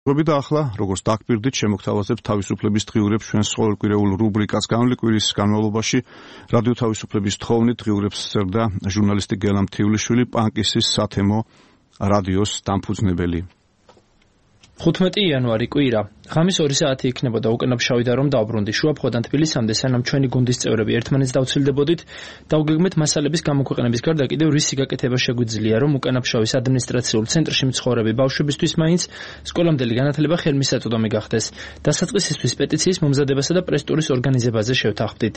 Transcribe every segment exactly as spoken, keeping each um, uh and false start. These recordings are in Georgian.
და ახლა, როგორც დაგპირდით, შემოგთავაზებთ თავისუფლების დღიურებს ჩვენს ყოველკვირეულ რუბრიკას განვლეკვირის განმავლობაში. რადიო თავისუფლების თხოვნით დღიურებს წერდა ჟურნალისტი გელამ თივლიშვილი, პანკისის სათემო რადიოს დამფუძნებელი. ხუთმეტი იანვარი კვირა. ღამის ორი საათი იქნებოდა უკანაფშავი და რომ დავბრუნდი შუაფხოდან თბილისამდე, სანამ ჩვენი გუნდის წევრები ერთმანეთს დავცილდებოდით, დავგეგმეთ მასალების გამოქვეყნების გარდა კიდევ რისი გაკეთება შეგვიძლია, რომ უკანაფშავის ადმინისტრაციულ ცენტრში მცხოვრები ბავშვებისთვის მაინც სკოლამდელი განათლება ხელმისაწვდომი გახდეს. დასაწყისისთვის პეტიციის მომზადებასა და პრეს-ტურის ორგანიზებაზე შევთანხმდით.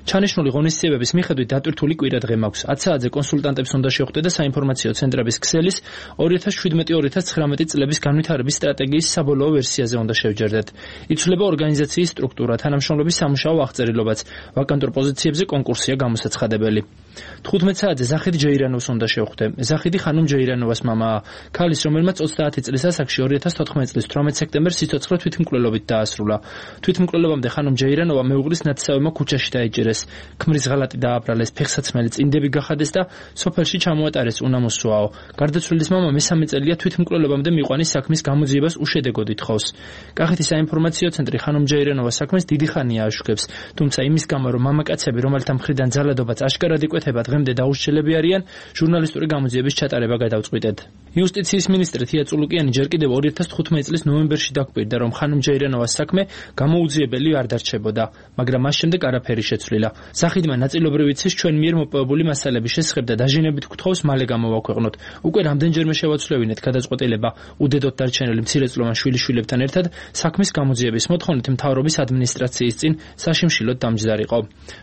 ჩანიშნული ღონისძიებების მიხედვით დატვირთული კვირა დღე მაქვს. ათ საათზე კონსულტანტებს უნდა შევხვდე და საინფორმაციო ცენტრების ქსელის ორი ათას შვიდმეტი - ორი ათას ცხრამეტი წლების განვითარების სტრატეგიის საბოლოო ვერსიაზე უნდა შევჯერდეთ. იცვლება ორგანიზაციის სტრუქტურა, თანამშრომლობის სამუშაო აღწერილობაც, ვაკანტურ პოზიციებზე კონკურსია გამოსაცხადებელი. თხუთმეტ საათზე ზახიდი ჯეირანოვს უნდა შევხვდე. ზახიდი ხანუმ ჯეირანოვას მამაა, ქალის, რომელმაც ოცდაათი წლის ასაკში ორი ათას თოთხმეტი წლის თვრამეტ სექტემბერს სიცოცხლე თვითმკვლელობით დაასრულა. თვითმკვლელობამდე ხანუმ ჯეირანოვა მეუღლის ნათსავებმა ქუჩაში დაიჭერეს. ქმრის ღალატი დააბრალეს, ფეხსაცმელი წინდები გახადეს და სოფელში ჩამოატარეს უნამოსვაო. გარდაცვლილის მამა მესამე წელია თვითმკვლელობამდე მიყვანის საქმის გამოძიებას უშედეგოდ ითხოვს. კახეთის საინფორმაციო ცენტრი ხანუმ ჯეირანოვას საქმეს დიდი ხანია აშუქებს, თუმცა იმის გამო, რომ მამაკაცები, რომელთა მხრიდან ძალადობაც აშკარად იკვეთება, დღემდე დაუშლილები არიან, ჟურნალისტური გამოძიების ჩატარება გადავწყვიტეთ. იუსტიციის მინისტრი თია წულუკიანი ჯერ კიდევ ორი ათას თხუთმეტი წლის ნოემბერში დაგვირდა, რომ ხანუმ ჯეირანოვას საქმე გამოუძიებელი არ დარჩებოდა, მაგრამ მას შემდეგ არაფერი შეცვლილა. ზახიდმა ნაწილობრივ იცის ჩვენ მიერ მოპოვებული მასალების შესახებ და დაჟინებით გთხოვს მალე გამოვაქვეყნოთ. უკვე რამდენჯერმე შევაცვლევინეთ გადაწყვეტილება უდედოდ დარჩენილი მცირეწლოვან შვილიშვილებთან ერთად საქმის გამოძიების მოთხოვნით მთავრობის ადმინისტრაციის წინ საშიმშილოდ დამჯდარიყო.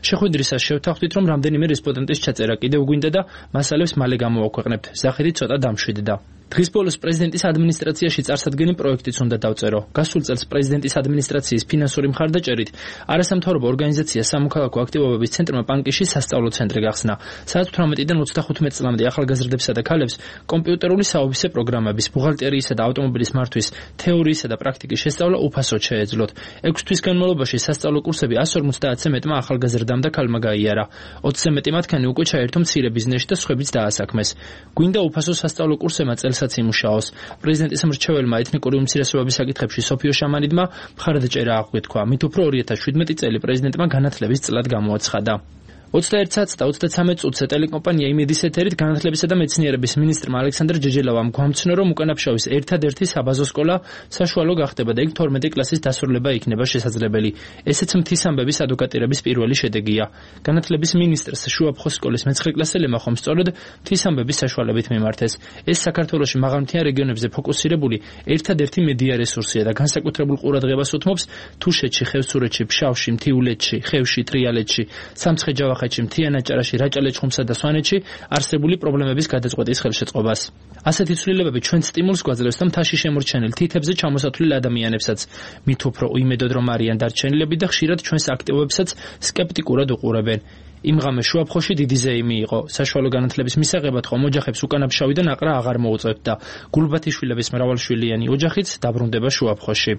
შეხვედრისას შევთანხმდით, რომ რამდენიმე რესპონდენტის ჩაწერა კიდევ გვინდა და მასალებს მალე გამოვაქვეყნებთ. ზახიდი ცოტა დამშვიდდა. დღის ბოლოს პრეზიდენტის ადმინისტრაციაში წარსადგენი პროექტიც უნდა დავწერო. გასულ წელს პრეზიდენტის ადმინისტრაციის ფინანსური მხარდაჭერით არასამთავრობო ორგანიზაცია სამოქალაქო აქტივობების ცენტრმა პანკისში სასწავლო ცენტრი გახსნა. საათ თვრამეტიდან ოცდახუთმეტ წლამდე ახალგაზრდებსა და ქალებს კომპიუტერული საოფისე პროგრამების, ბუღალტერიისა და ავტომობილის მართვის თეორიისა და პრაქტიკის შესწავლა უფასოდ შეეძლოთ. ექვს თვის განმავლობაში სასწავლო კურსები ასს ორმოცდაათზე მეტმა ახალგაზრდამ და ქალმა გაიარა. ოცზე მეტი მათგანი უკვე ჩაერთო მცირე ბიზნესში და სხვებიც დაასაქმეს. გვინდა უფასო სასწავლო კურსებმა წელსაც იმუშაოს. პრეზიდენტის მრჩეველმა ეთნიკური უმცირესობების საკითხებში სოფიო შამანიდმა მხარდაჭერა აღგვეთქვა. მით უფრო ორი ათას შვიდმეტი წელი პრეზიდენტმა განათლების წლად გამოაცხადა. ოცდაერთ საათს და ოცდაცამეტ წუთზე ტელეკომპანია იმედის ეთერით განათლებისა და მეცნიერების მინისტრმა ალექსანდრ ჯეჯელოვამ გვამცნო, რომ უკანაფშავის ერთადერთი საბაზო სკოლა საშუალო გახდება და იქ თორმეტი კლასის დასრულება იქნება შესაძლებელი. ესეც მთის ადვოკატირების პირველი შედეგია. განათლების მინისტრს შუაფხოს სკოლის მეცხრე კლასელებმა ხომ სწორედ მთის საშუალებით მიმართეს. ეს საქართველოში მაღალმთიან რეგიონებზე ფოკუსირებული ერთადერთი მედია რესურსია და განსაკუთრებულ ყურადღებას უთმობს თუშეთში, ხევსურეთში, ფშავში, მთიულეთში, ხევში, ტრიალეთში, სამცხე-ჯავახეთში, მთიანაჭარაში, რაჭა-ლეჩხუმსა და სვანეთში არსებული პრობლემების გადაწყვეტის ხელშეწყობას. ასეთი ცვლილებები ჩვენს სტიმულს გვაძლევს და მთაში შემორჩენილ თითებზე ჩამოსათვლილ ადამიანებსაც, მით უფრო უიმედოდ რომ არიან დარჩენილები და ხშირად ჩვენს აქტივობებსაც სკეპტიკურად უყურებენ. იმ ღამეს შუაფხოში დიდი ზეიმი იყო. საშუალო განათლების მისაღებად ხომ ოჯახებს უკანაფშავიდან აყრა აღარ მოუწევდა. გულბათიშვილების მრავალშვილიანი ოჯახიც დაბრუნდება შუაფხოში.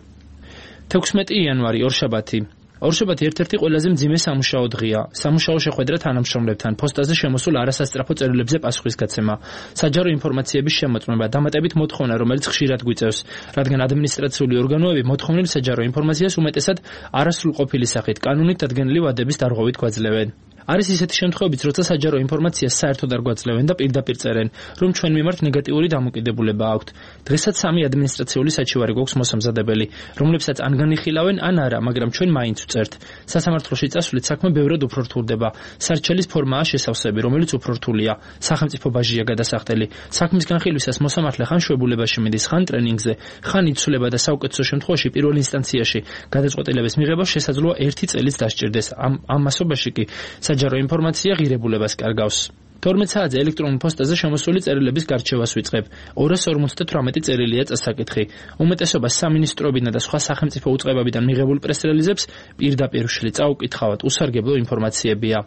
თექვსმეტი იანვარი ორშაბათი. ორშაბათი ერთ-ერთი ყველაზე მძიმე სამუშაო დღეა. სამუშაო შეხვედრა თანამშრომლებთან, პოსტაზე შემოსულ არასასწრაფო წერილებზე პასუხისგაცემა, საჯარო ინფორმაციების შემოწმება, დამატებით მოთხოვნა, რომელიც ხშირად გვიწევს, რადგან ადმინისტრაციული ორგანოები მოთხოვნილ საჯარო ინფორმაციას უმეტესად არასრულყოფილი სახით, კანონით დადგენილი ვადების დარღვევით გვაძლევენ. არის ისეთი შემთხვევებიც, როცა საჯარო ინფორმაციას საერთოდ არ გვაძლევენ და პირდაპირ წერენ, რომ ჩვენ მიმართ ნეგატიური დამოკიდებულება აქვთ. დღესაც სამი ადმინისტრაციული საჩივარი გვაქვს მოსამზადებელი, რომლებსაც ან განიხილავენ, ან არა, მაგრამ ჩვენ მაინც ვწერთ. სასამართლოში წასვლით საქმე ბევრად უფრო რთულდება. სარჩელის ფორმაა შესავსები, რომელიც უფრო რთულია. სახელმწიფო ბაჟია გადასახდელი. საქმის განხილვისას მოსამართლე ხან შვებულებაში მიდის, ხან ტრენინგზე, ხან იცვლება და საუკეთესო შემთხვევაში პირველ ინსტანციაში გადაწყვეტილების მიღება შესაძლოა ერთი წელიც დასჭირდეს. ამ ამ მასობაში კი საჯარო ინფორმაცია ღირებულებას კარგავს. თორმეტ საათზე ელექტრონულ პოსტაზე შემოსული წერილების გარჩევას ვიწყებ. ორას ორმოცდათვრამეტი წერილია წასაკითხი. უმეტესობა სამინისტროებიდან და სხვა სახელმწიფო უწყებებიდან მიღებულ პრეს-რელიზებს პირდაპირ ვშლი, წაუკითხავთ, უსარგებლო ინფორმაციებია.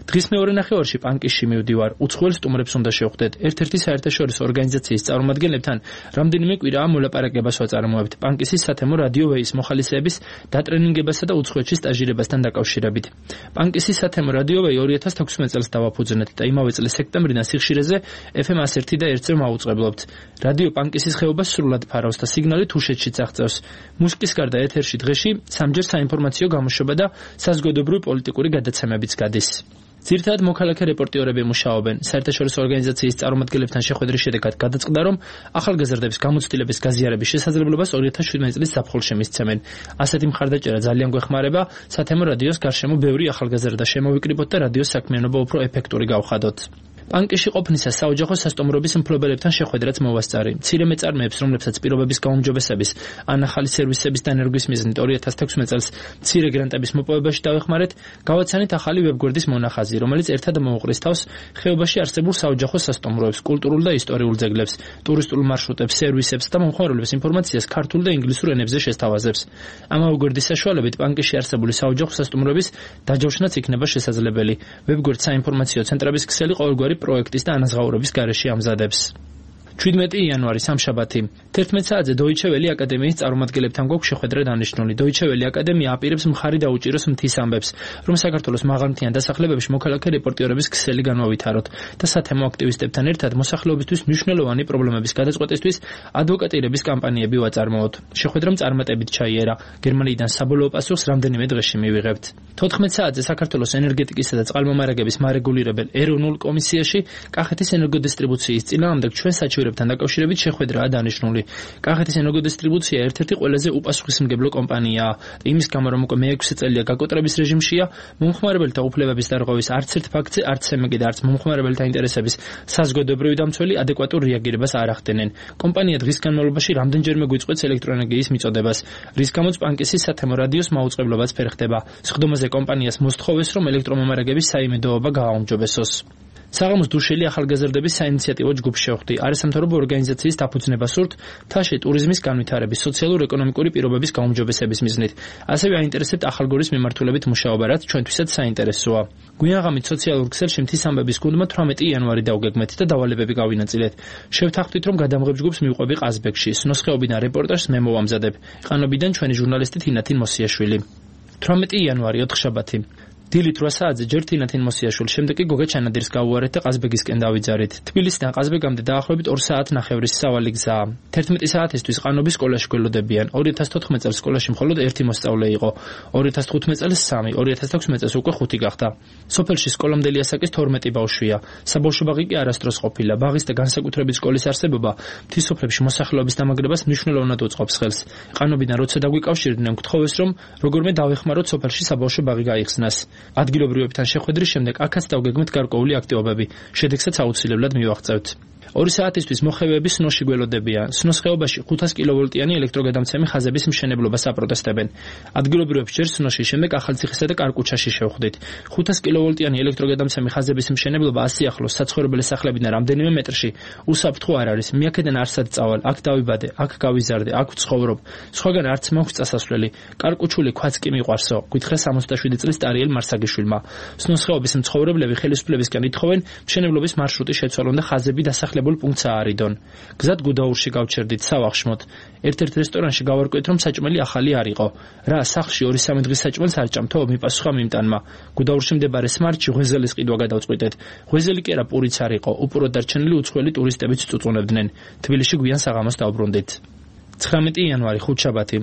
დღის მეორე ნახევარში პანკისში მივდივარ. უცხოელ სტუმრებს უნდა შევხვდეთ. ერთ-ერთი საერთაშორისო ორგანიზაციის წარმომადგენლებთან რამდენიმე კვირაა მოლაპარაკებას ვაწარმოებთ. პანკისის სათემო რადიო ვეის მოხალისეების დატრენინგებასა და უცხოეთში სტაჟირებასთან დაკავშირებით. პანკისის სათემო რადიო ვეი ორი ათას თექვსმეტ წელს დავაფუძნეთ და იმავე წლის სექტემბრიდან სიხშირეზე ეფ ემ one oh one და one-ზე მაუწყებლობთ. რადიო პანკისის ხეობა სრულად ფარავს და სიგნალი თუშეთშიც აღწევს. მუსიკის გარდა ეთერში დღეში სამჯერ საინფორმაციო გამოშვება და საზოგადოებრივი პოლიტიკური გადაცემებიც გადის. ძირითადად მოქალაქე რეპორტიორები მუშაობენ. საერთაშორისო ორგანიზაციის წარმომადგენლებთან შეხვედრის შედეგად გადაწყდა, რომ ახალგაზრდების გამოცდილების გაზიარების შესაძლებლობას ორი ათას შვიდმეტი წლის ზაფხულში მისცემენ. ასეთი მხარდაჭერა ძალიან გვეხმარება სათემო რადიოს გარშემო ბევრი ახალგაზრდა შემოვიკრიბოთ და რადიოს საქმიანობა უფრო ეფექტური გავხადოთ. პანკისში ყოფნისას საოჯახო სასტუმროების მფლობელებთან შეხვედრაც მოვასწარი. მცირე მეწარმეებს, რომლებსაც პირობების გაუმჯობესების ან ახალი სერვისების დანერგვის მიზნით ორი ათას თექვსმეტ წელს მცირე გრანტების მოპოვებაში დავეხმარეთ, გავაცანით ახალი ვებგვერდის მონახაზი, რომელიც ერთად მოუყრის თავს ხეობაში არსებულ საოჯახო სასტუმროებს, კულტურულ და ისტორიულ ძეგლებს, ტურისტულ მარშრუტებს, სერვისებს და მომხმარებლების ინფორმაციას ქართულ და ინგლისურ ენებზე შესთავაზებს. ამავე გვერდის საშუალებით პანკისში არსებული საოჯახო სასტუმროების დაჯავშნაც იქნება შესაძლებელი. ვებგვერდ საინფორმაციო ცენტრების ქსელი ყოველგვარი პროექტის და ანაზღაურების გარეშე ამზადებს. შვიდმეტი იანვარი სამშაბათი. თერთმეტ საათზე Deutsche Welle აკადემიის წარმომადგენლებთან გვაქვს შეხვედრა დანიშნული. Deutsche Welle აკადემია აპირებს მხარი დაუჭიროს მთის ამბებს, რომ საქართველოს მაღალმთიან დასახლებებში მოქალაქე რეპორტიორების ქსელი განვავითაროთ და სათემო აქტივისტებთან ერთად მოსახლეობისთვის მნიშვნელოვანი პრობლემების გადაწყვეტისთვის ადვოკატირების კამპანიები ვაწარმოოთ. შეხვედრამ წარმატებით ჩაიერა. გერმანიიდან საბოლოო პასუხს რამდენიმე დღეში მივიღებთ. თოთხმეტ საათზე საქართველოს ენერგეტიკისა და წყალმომარაგების მარეგულირებელ ეროვნულ კომისიაში კახეთის ენერგოდისტრიბუციის წინააღმდეგ ჩვენ საჩივრებთან დაკავშირებით შეხვედრაა დანიშნული. კახეთის ენერგოდისტრიბუცია ერთ-ერთი ყველაზე უპასუხისმგებლო კომპანიაა. იმის გამო, რომ უკვე მეექვსე წელია გაკოტრების რეჟიმშია, მომხმარებელთა უფლებების დარღვევის არც ერთ ფაქტზე არც ცემეკი და არც მომხმარებელთა ინტერესების საზოგადოებრივი დამცველი ადეკვატურ რეაგირებას არ ახდენენ. კომპანია დღის განმავლობაში რამდენჯერმე გვიწყვეტს ელექტროენერგიის მიწოდებას, რის გამოც პანკისის სათემო რადიოს მაუწყებლობაც ფერხდება. სხდომაზე კომპანიას მოსთხოვეს, რომ ელექტრომომარაგების საიმედოობა გააუმჯობესოს. საღამოს დუშელი ახალგაზრდების საინიციატივო ჯგუფს შევხვდი. არასამთავრობო ორგანიზაციის დაფუძნება სურთ მთაში ტურიზმის განვითარების, სოციალურ-ეკონომიკური პირობების გაუმჯობესების მიზნით. ასევე აინტერესებთ ახალგორის მიმართულებით მუშაობა, რაც ჩვენთვისაც საინტერესოა. გვიანაღამით სოციალურ ქსელში მთის ამბების გუნდმა თვრამეტი იანვარი დავგეგმეთ და დავალებები გავინაწილეთ. შევთანხმდით, რომ გადამღებ ჯგუფს მივყვები ყაზბეგში. სნოსხეობიდან რეპორტაჟს მე მოვამზადებ. ყანობიდან ჩვენი ჟურნალისტი თინათინ მოსიაშვილი. თვრამეტი იანვარი ოთხშაბათი. დილით რვა საათზე ჯერ თინათინ მოსიაშვილი, შემდეგ კი გოგა ჩანადირს გავუარეთ და ყაზბეგისკენ დავიძარით. თბილისიდან ყაზბეგამდე დაახლოებით ორი საათი ნახევრის სავალი გზაა. თერთმეტი საათისთვის ყანობის სკოლაში გველოდებიან. ორი ათას თოთხმეტ წელს სკოლაში მხოლოდ ერთი მოსწავლე იყო. ორი ათას თხუთმეტ წელს სამი, ორი ათას თექვსმეტ წელს უკვე ხუთი გახდა. სოფელში სკოლამდელი ასაკის თორმეტი ბავშვია. საბავშვო ბაღი კი არასდროს ყოფილა. ბაღის და განსაკუთრებით სკოლის არსებობა მთის სოფლებში მოსახლეობის დამაგრებას მნიშვნელოვნად უწყობს ხელს. ყანობიდან როცა დაგვიკავშირდნენ, გთხოვეს, რომ როგორმე დავეხმაროთ სოფელში საბავშვო ბაღი გაიხსნას. ადგილობრივებთან შეხვედრის შემდეგ აქაც დავგეგმეთ გარკვეული აქტივობები, შედეგსაც აუცილებლად მივაღწევთ. ორი საათისთვის მოხევეები სნოში გველოდებიან. სნოს ხეობაში ხუთას კილოვოლტიანი ელექტროგადამცემი ხაზების მშენებლობას აპროტესტებენ. ადგილობრივებს ჯერ სნოში, შემდეგ ახალციხისა და კარკუჩაში შევხვდით. ხუთას კილოვოლტიანი ელექტროგადამცემი ხაზების მშენებლობა ასე ახლოს საცხოვრებელი სახლებიდან რამდენიმე მეტრში უსაფრთხო არ არის. მე აქედან არსად წავალ, აქ დავიბადე, აქ გავიზარდე, აქ ვცხოვრობ. სხვაგან არც მაქვს წასასვლელი. კარკუჩული ქვაც კი მიყვარსო, გითხრა სამოცდაშვიდი წლის ტარიელ მარსაგიშვილმა. სნოს ხეობის მცხოვრებლები ხელისუფლებისგან ითხოვენ მშენებლობის მარშრუტი შეცვალონ და ხაზები დასახლებულ პუნქტსა არიდონ. გზად გუდაურში გავჩერდით სავახშმოთ. ერთ-ერთ რესტორანში გავარკვიეთ, რომ საჭმელი ახალი არ იყო. რა, სახლში ორი სამი დღის საჭმელს არ ჭამთო? მიპასუხა მიმტანმა. გუდაურში მდებარე სმარტში ღვეზელის ყიდვა გადავწყვიტეთ. ღვეზელი კი არა, პურიც არ იყო. უპურად დარჩენილი უცხოელი ტურისტებიც წუწუნებდნენ. თბილისში გვიან საღამოს დავბრუნდით. ცხრამეტი იანვარი ხუთშაბათი.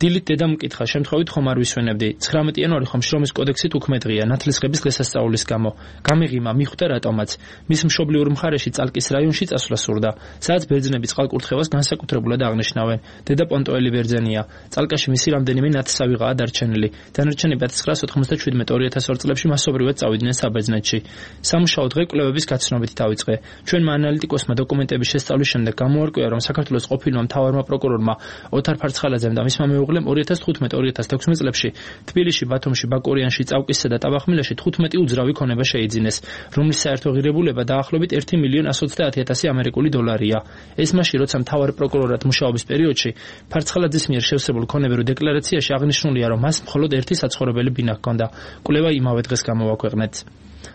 დილით დედამ მკითხა, შემთხვევით ხომ არ ვისვენებდი. ცხრამეტი იანვარი ხომ შრომის კოდექსით უქმედღია, ნათლისღების დღესასწაულის გამო. გამიღიმა, მიხვდა რატომაც. მის მშობლიურ მხარეში წალკის რაიონში წასვლა სურდა. სადაც ბერძნები წყალკურთხევას განსაკუთრებულად აღნიშნავენ. დედა პონტოელი ბერძენია. წალკაში მისი რამდენიმე ნათსავიღაა დარჩენილი. დანარჩენი ათას ცხრაასი ოთხმოცდაშვიდი ორი ათას ორი წლებში მასობრივად წავიდნენ საბერძნეთში. სამუშაო დღე კვლევების გაცნობით დავიწყე. ჩვენმა ანალიტიკოსმა დოკუმენტების შესწავლის შემდეგ გამოარკვია, რომ საქართველოს ყოფილმა მთავარმა პროკურორმა ოთარ ფარცხალაძემ და მისმა მეუღლემ ორი ათას თხუთმეტ ორი ათას თექვსმეტ წლებში თბილისში, ბათუმში, ბაკურიანში, წავკისსა და ტაბახმილაში თხუთმეტი უძრავი ქონება შეიძინეს, რომლის საერთო ღირებულება დაახლოებით ერთი მილიონი ასი ოცდაათი ათასი ამერიკული დოლარია. ეს მაშინ, როცა მთავარ პროკურორად მუშაობის პერიოდში ფარცხალაძის მიერ შევსებულ ქონებრივ დეკლარაციაში აღნიშნულია, რომ მას მხოლოდ ერთი საცხოვრებელი ბინა ჰქონდა. კვლევა იმავე დღეს გამოვაქვეყნეთ.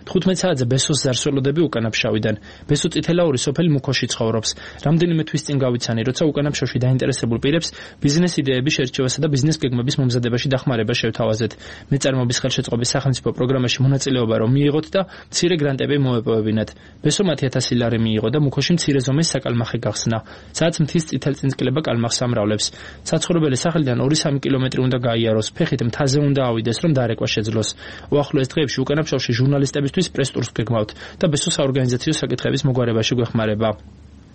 თხუთმეტ საათზე ბესოს ზარსველოდები უკანაფშავიდან. ბესო წითელაური სოფელი მუქოში ცხოვრობს. რამდენიმე თვის წინ გავიცანი, როცა უკანაფშავში დაინტერესებულ პირებს ბიზნეს იდეების შერჩევასა და ბიზნეს გეგმების მომზადებაში დახმარება შევთავაზეთ. მეწარმოების ხელშეწყობის სახელმწიფო პროგრამაში მონაწილეობა რომ მიიღოთ და მცირე გრანტები მოეპოვებინათ. ბესო მათი ათასი ლარი მიიღო და მუქოში მცირე ზომის საკალმახი გახსნა. სადაც მთის წითელწინწკლება კალმახს ამრავლებს. საცხოვრებელი სახელიდან ორი სამი კილომეტრი უნდა გაიაროს, ფეხით მთაზე უნდა ავიდეს, რომ დარეკვა შეძლოს. უახლოეს დღეებში უკანაფშავში ჟურნალისტებისთვის პრეს-ტურს გეგმავთ და ბესოს საორგანიზაციო საკითხების მოგვარებაში გვეხმარება.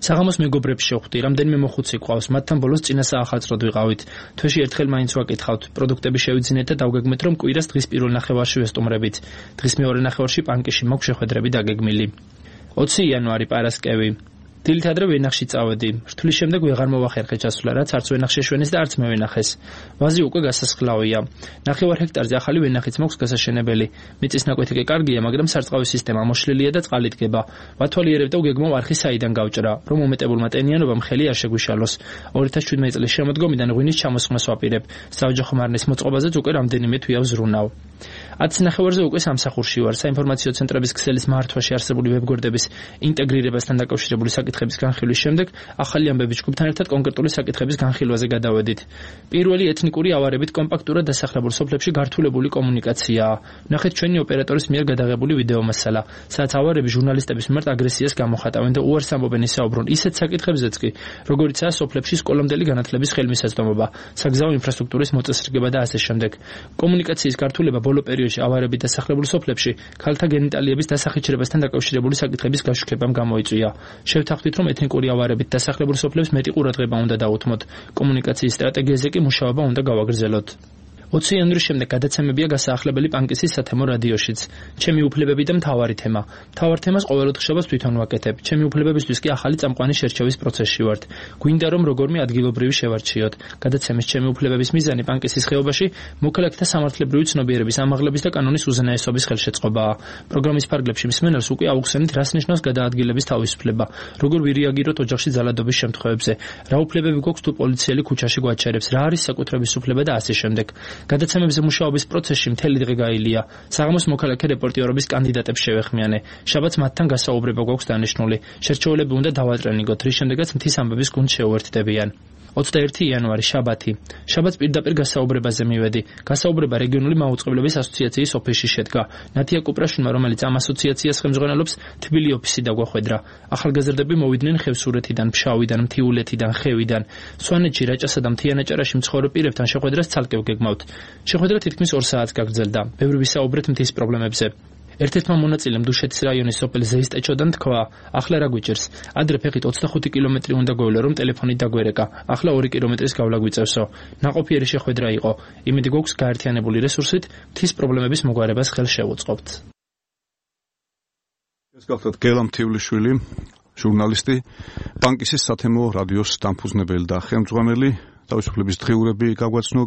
საღამოს მეგობრებს შევხვდი, რამდენიმე მოხუცი ყავს, მათთან ბოლოს წინა საახალწლოდ ვიყავით. თვეში ერთხელ მაინც ვაკითხავთ, პროდუქტები შევიძინეთ და დავგეგმეთ, რომ კვირას დღის პირველ ნახევარში ვესტუმრებით. დღის მეორე ნახევარში პანკიში მაქვს შეხვედრები დაგეგმილი. ოცი იანვარი პარასკევი. დილით ადრე ვენახში წავედი. რთვლის შემდეგ ვეღარ მოვახერხე ჩასვლა, რაც არც ვენახში შეშვენეს და არც მე ვენახეს. ვაზი უკვე გასასხლავია. ნახევარ ჰექტარზე ახალი ვენახიც მაქვს გასაშენებელი. მიწის ნაკვეთი კი კარგია, მაგრამ სარწყავი სისტემა მოშლილია და წყალი დგება. ვათვალიერებ და ვგეგმავ არხი საიდან გავჭრა, რომ მომეტებულმა ტენიანობამ ხელი არ შეგვიშალოს. ორი ათას შვიდმეტი წლის შემოდგომიდან ღვინის ჩამოსხმას ვაპირებ. საოჯახო მარნის მოწყობაზეც უკვე რამდენიმე თვეა ვზრუნავ. ათს ნახევარზე უკვე სამსახურში ვარ. საინფორმაციო ცენტრების ქსელის მართვაში არსებული ვებგვერდების ინტეგრირებასთან დაკავშირებული საკითხების განხილვის შემდეგ ახალი ამბების ჯგუფთან ერთად კონკრეტული საკითხების განხილვაზე გადავედით. პირველი ეთნიკური ავარებით კომპაქტურად დასახლებულ სოფლებში გართულებული კომუნიკაციაა. ნახეთ ჩვენი ოპერატორის მიერ გადაღებული ვიდეო მასალა, სადაც ავარები ჟურნალისტების მიმართ აგრესიას გამოხატავენ და უარს ამბობენ ისაუბრონ ისეთ საკითხებზეც კი, როგორიცაა სოფლებში სკოლამდელი განათლების ხელმისაწვდომობა, საგზაო ინფრასტრუქტურის მოწესრიგება და ასე შემდეგ. კომუნიკაციის გართულება ბოლო პერიოდში ავარებით დასახლებულ სოფლებში ქალთა გენიტალიების დასახიჩრებასთან დაკავშირებული საკითხების გაშუქებამ გამოიწვია. შევთანხმდით, რომ ეთნიკური ავარებით დასახლებულ სოფლებს მეტი ყურადღება უნდა დაუთმოთ. კომუნიკაციის სტრატეგიაზე კი მუშაობა უნდა გავაგრძელოთ. ოცი იანვრის შემდეგ გადაცემებია გასაახლებელი პანკისის სათემო რადიოშიც. ჩემი უფლებები და მთავარი თემა. მთავარ თემას ყოველდღე ხშირად თვითონ ვაკეთებ. ჩემი უფლებებისთვის კი ახალი წამყვანი შერჩევის პროცესში ვართ. გვინდა რომ როგორმე ადგილობრივი შევარჩიოთ. გადაცემის ჩემი უფლებების მიზანი პანკისის ხეობაში მოქალაქეთა სამართლებრივი ცნობიერების ამაღლების და კანონის უზენაესობის ხელშეწყობაა. პროგრამის ფარგლებში მსმენელს უკვე აუხსენით, რას ნიშნავს გადაადგილების თავისუფლება, როგორ ვირეაგიროთ ოჯახში ძალადობის შემთხვევებზე, რა უფლებები გვაქვს თუ პოლიციელი ქუჩაში გვაჩერებს, რა არის საკუთრების უფლება და ასე შემდეგ. გადაცემებზე მუშაობის პროცესში მთელი დღე გაήλია. საღამოს მოქალაქე რეპორტიორობის კანდიდატებს შევეხმიანე. შაბათს მათთან გასაუბრება გვაქვს დანიშნული. შერჩეულები უნდა დავატრენიგოთ, რის შემდეგაც მთის ამბების გუნდს შეუერთდებიან. ოცდაერთი იანვარი შაბათი. შაბათს პირდაპირ გასაუბრებაზე მივედი. გასაუბრება რეგიონული მაუწყებლობის ასოციაციის ოფისში შედგა. ნათია კუპრაშვილმა, რომელიც ამ ასოციაციას ხელმძღვანელობს, თბილი ოფისი დაგვახვედრა. ახალგაზრდები მოვიდნენ ხევსურეთიდან, ფშავიდან, მთიულეთიდან, ხევიდან. სვანეთში, რაჭასა და მთიანაჭარაში მცხოვრებ პირებთან შეხვედრას ცალკე ვგეგმავთ. შეხვედრა თითქმის ორ საათს გაგრძელდა. ბევრი ვისაუბრეთ მთის პრობლემებზე. ერთ-ერთმა მონაწილემ დუშეთის რაიონის სოფელ ზეისტეჩოდან თქვა, ახლა რა გვიჭერს? ადრე ფეხით ოცდახუთი კილომეტრი უნდა გოვლო, რომ ტელეფონით დაგვერეკა. ახლა ორი კილომეტრის გავლა გვიწევსო. ნაყოფიერი შეხვედრა იყო. იმედი გვაქვს გაერთიანებული რესურსით მთის პრობლემების მოგვარებას ხელს შევუწყობთ. ეს გახლავთ გელამ თივლიშვილი, ჟურნალისტი, პანკისის სათემო რადიოს დამფუძნებელი და ხელმძღვანელი. თავისუფლების დღიურები გაგვაცნო.